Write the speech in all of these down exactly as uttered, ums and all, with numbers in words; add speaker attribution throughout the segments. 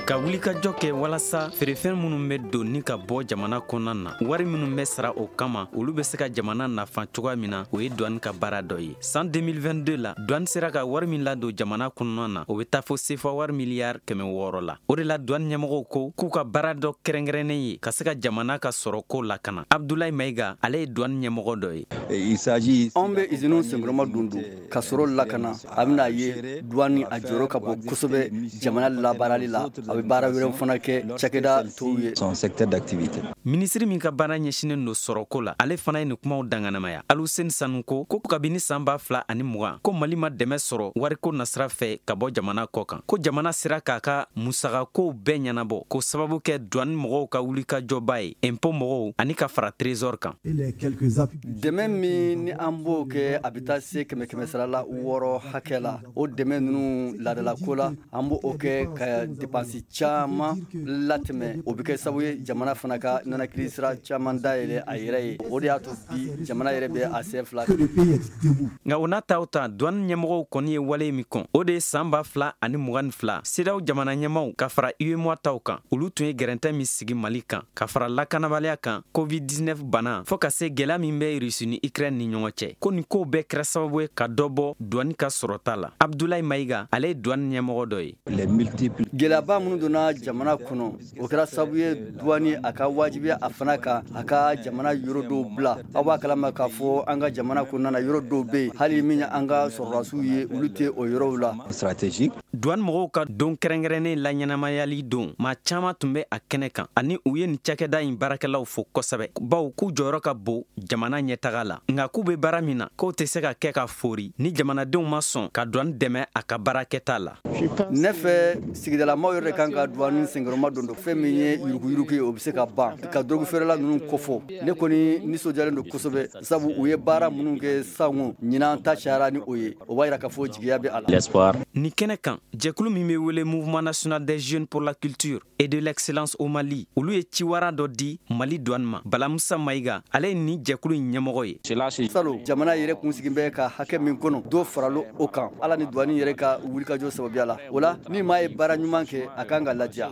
Speaker 1: Ka wulikajɔ kɛ walasa feerefɛn minnu bɛ don ni ka bɔ jamana kɔnɔna na, wari minnu bɛ sara o kama, olu bɛ se ka jamana nafa cogoya min na, o ye douane ka baara dɔ ye. San deux mille vingt-deux la, douane sera ka wari min ladon jamana kɔnɔna na, o bɛ taa fo sefa wari miliyari kɛmɛ wɔɔrɔ la. O de la, douane ɲɛmɔgɔw ko k'u ka baara dɔ kɛrɛnkɛrɛnnen ye ka se ka jamana ka sɔrɔko lakana. Abdoulaye Maïga, ale ye douane ɲɛmɔgɔ dɔ ye.
Speaker 2: Anw bɛ usines senkɔrɔma don don ka sɔrɔ lakana. A bɛna ye, douane a jɔyɔrɔ ka bon kosɛbɛ jamana labaarali la. A bɛ baara wɛrɛw fana kɛ cakɛda tɔw ye.
Speaker 1: Minisiri min ka baara ɲɛsinnen don sɔrɔko la, ale fana ye nin kumaw danganamaya. Aluseni Sanu ko ko kabini san ba fila ani mugan, ko Mali ma dɛmɛ sɔrɔ wariko nasira fɛ ka bɔ jamana kɔ kan, ko jamana sera k'a ka musagakow bɛɛ ɲɛnabɔ, ko sababu kɛ douane mɔgɔw ka wulikajɔba ye, impôt mɔgɔw ani ka fara Trésor kan.
Speaker 2: Dɛmɛ min ni an b'o kɛ, a bɛ taa se kɛmɛ kɛmɛ sarala wɔɔrɔ hakɛ la. O dɛmɛ ninnu, laadalako la, an b'o kɛ ka dépense caman latɛmɛ. O bɛ kɛ sababu ye jamana fana ka nɛnakili sira caman dayɛlɛ a yɛrɛ ye. O de y'a to bi jamana yɛrɛ bɛ a sen fila.
Speaker 1: Nka o n'a ta o ta, douane ɲɛmɔgɔw kɔni ye wale min kɔn, o de ye san ba fila ani mugan ni fila, CEDEAO jamana ɲɛmaw ka fara UEMOA taw kan, olu tun ye gɛrɛntɛ min sigi Mali kan, ka fara lakanabaliya kan, COVID dix-neuf bana, fɔɔ ka se gwɛlɛya min bɛ Rusi ni Ukraine ni ɲɔgɔn cɛ, ko nin kow bɛɛ kɛra sababu ye ka dɔ bɔ douane ka sɔrɔta la. Abdoulaye Maïga, ale ye douane ɲɛmɔgɔ dɔ ye.
Speaker 2: Gɛlɛyaba minnu donna jamana kɔnɔ, o kɛra sababu ye douane a ka wajibiya a fana kan a ka jamana yɔrɔ dɔw bila. Aw b'a kalama k'a fɔ an ka jamana kɔnɔna na, yɔrɔ dɔw bɛ yen, hali min an ka sɔrɔdasiw ye, olu tɛ o yɔrɔw la.
Speaker 1: Douane mɔgɔw ka don kɛrɛnkɛrɛnnen laɲɛnamayali don, maa caaman tun bɛ a kɛnɛ kan, ani u ye nin cakɛda in baarakɛlaw fo kosɛbɛ, baw k'u jɔyɔrɔ ka bon jamana ɲɛtaga la. Nka k'u be baara min na, k'o tɛ se ka kɛ ka fori ni jamanadenw ma sɔn ka douane dɛmɛ a ka baarakɛta la.
Speaker 2: Ne fɛ, sigidalamaw yɛrɛ kan ka douane senkɔrɔma don don. Fɛn min ye yuruguyurugu ye, o bɛ se ka ban ka drogue feerela ninnu kɔfɔ. Ne kɔni nisɔndiyalen don kosɛbɛ, sabu u ye baara minnu kɛ sango ɲinan ta cayara ni o ye. O b'a yira k'a fɔ jigiya bɛ a la.
Speaker 1: Nin kɛnɛ kan, jɛkulu min bɛ wele Mouvement national des jeunes pour la culture et de l'excellence au Mali, olu ye ciwara dɔ di Mali douane ma. Balamusa Mayiga, ale ye nin jɛkulu in ɲɛmɔgɔ ye.
Speaker 2: Salon, jamana yɛrɛ kun sigi bɛ ka hakɛ min kɔnɔ, dɔ faralo o kan, Ala ni douane yɛrɛ ka wulikajɔ sababuya la. O la, ni maa ye baara ɲuman kɛ, a kan ka ladiya.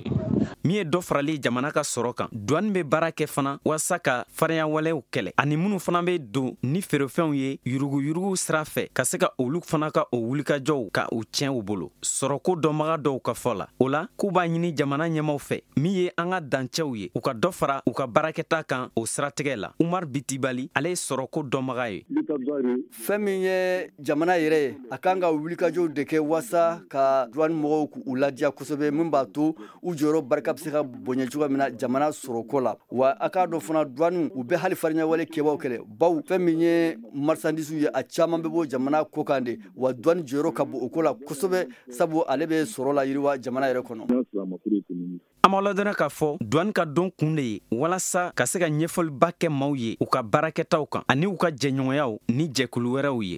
Speaker 1: Min ye dɔ farali jamana ka sɔrɔ kan, douane bɛ baara kɛ fana walasa ka farinyawalew kɛlɛ, ani minnu fana bɛ don ni feerefɛnw ye yuruguyurugu sira fɛ, ka se ka olu fana ka o wulikajɔw ka u tiɲɛ u bolo, sɔrɔko dɔnbaga dɔw ka fɔ la. O la, k'u b'a ɲini jamana ɲɛmaw fɛ, min ye an ka dancɛw ye, u ka dɔ fara u ka baarakɛta kan o siratigɛ la. Umar Bitibali, ale ye sɔrɔko dɔnbaga ye.
Speaker 2: Fɛn min ye jamana yɛrɛ ye, a kan ka wulikajɔw de kɛ waasa ka douane mɔgɔw k'u ladiya kosɛbɛ, min b'a to u jɔyɔrɔ barika bɛ se ka bonya cogoya min na jamana sɔrɔko la. Wa a k'a dɔn fana, douane u bɛ hali fariɲawale kɛbaw kɛlɛ, baw fɛn min ye marchandise ye, a caman bɛ bɔ jamana kɔ kan de. Wa douane jɔyɔrɔ ka bon o ko la kosɛbɛ, sabu ale bɛ sɔrɔ la yiriwa jamana yɛrɛ kɔnɔ.
Speaker 1: An b'aw ladɔnniya k'a fɔ douane ka don kun de ye walasa ka se ka ɲɛfɔliba kɛ maaw ye u ka baarakɛtaw kan ani u ka jɛɲɔgɔnyaw ni jɛkulu wɛrɛw ye.